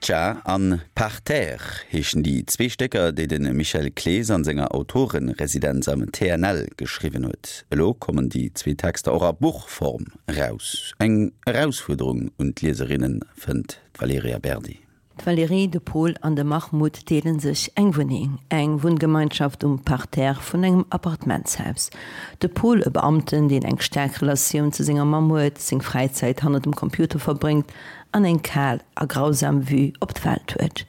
Captcha an Parterre heeschen déi zwee Stécker, déi de Michel Clees an senger Autorenresidenz am TNL geschriwwen huet. Elo kommen déi zwee Texter och a Buchform eraus. Eng Erausfuerderung un d'Lieserinnen, fënnt d'Valerija Berdi. D'Valérie, de Paul an de Mahmoud deele sech eng Wunneng, eng Wunngemeinschaft um Parterre vun engem Appartementshaus. De Paul, e Beamten, deen eng staark Relatioun zu senger Mamm huet, seng Fräizäit hannert dem Computer verbréngt an eng kal a grausam Vue op d'Welt huet.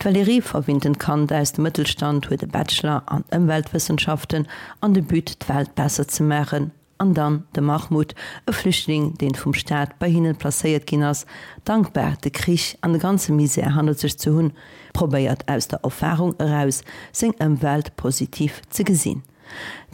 D'Valérie, verwinntent Kand aus dem Mëttelstand, huet e Bachelor an Ëmweltwëssenschaften an de But, d'Welt besser ze maachen. An dann de Mahmoud, e Flüchtling, deen vum Staat bei hinnen placéiert ginn ass, dankbar de Krich an de ganze Misär hannert sech ze hunn, probéiert aus der Erfahrung eraus seng Ëmwelt positiv ze gesinn.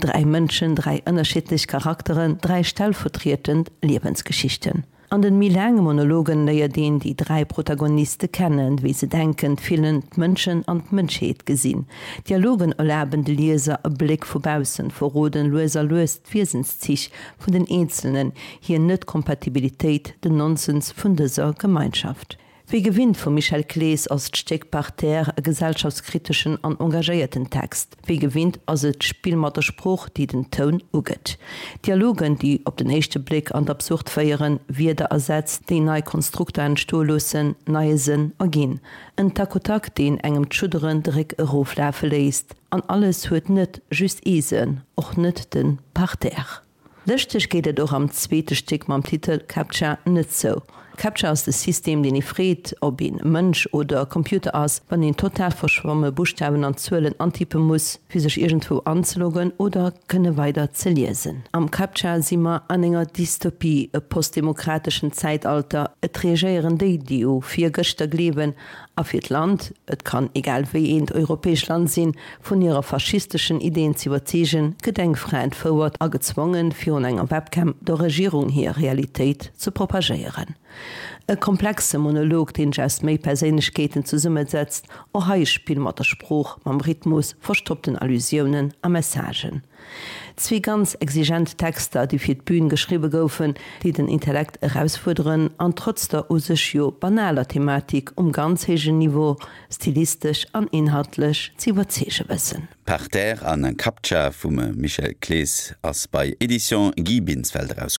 Dräi Mënschen, dräi ënnerschiddlech Charakteren, dräi stellvertrietend Liewensgeschichten. An den méi laange Monologen léiert een déi 3 Protagoniste kennen, wéi se denken, fillen, d'Mënschen an d'Mënschheet gesinn. D'Dialogen erlaben de Lieser e Bléck vu baussen, verroden lues a lues d'Wiesenszich vun den Eenzelnen, hir Net-Kompatibilitéit, den Nonsens vun dëser Gemeinschaft. Wéi gewinnt vum Michel Clees ass d'Stéck Parterre e gesellschaftskriteschen an engagéierten Text. Wéi gewinnt ass et d'Spill mat der Sprooch, déi den Toun ugëtt. Dialogen, déi op den éischte Bléck an d'Absurd féieren, Wierder a Sätz, déi nei Konstrukter entstoe loossen, neie Sënn erginn. En Tac au tac, deen engem d'Schudderen de Réck eroflafe léisst. An alles huet net just ee Sënn, och net de Parterre. Lëschteg geet et och am zweete Stéck mam Titel Captcha net zou. Captcha ass de System, deen ee freet, ob een Mënsch oder Computer ass, wann een total verschwomme Buschtawen an Zuelen antippe muss, fir sech iergendwou anzeloggen oder kënne weider ze liesen. Am Captcha si mer an enger Dystopie, e postdemokrateschen Zäitalter, et reagéieren déi, déi u virgëschter gleewen A fir d'Land, et kann egal wéi eent europäescht Land sinn, vun hirer faschisteschen Ideen z'iwwerzeegen, gëtt eng Fra entfouert a gezwongen, virun enger Webcam der Regierung hir Realitéit ze propagéieren. E komplexe Monolog, deen sech aus méi Perséinlechkeeten zesummesetzt, och hei e Spill mat der Sprooch, mam Rhythmus, verstoppten Allusiounen a Messagen. Zwee ganz exigent Texter, déi fir d'Bün geschriwwe goufen, déi den Intellekt erausfuerderen an trotz der u sech jo banaler Thematik um ganz héijen Niveau stilistesch an inhaltlech ze iwwerzeege wëssen. Parterre an Captcha vum Michel Clees ass bei Editions Guy Binsfeld eraus.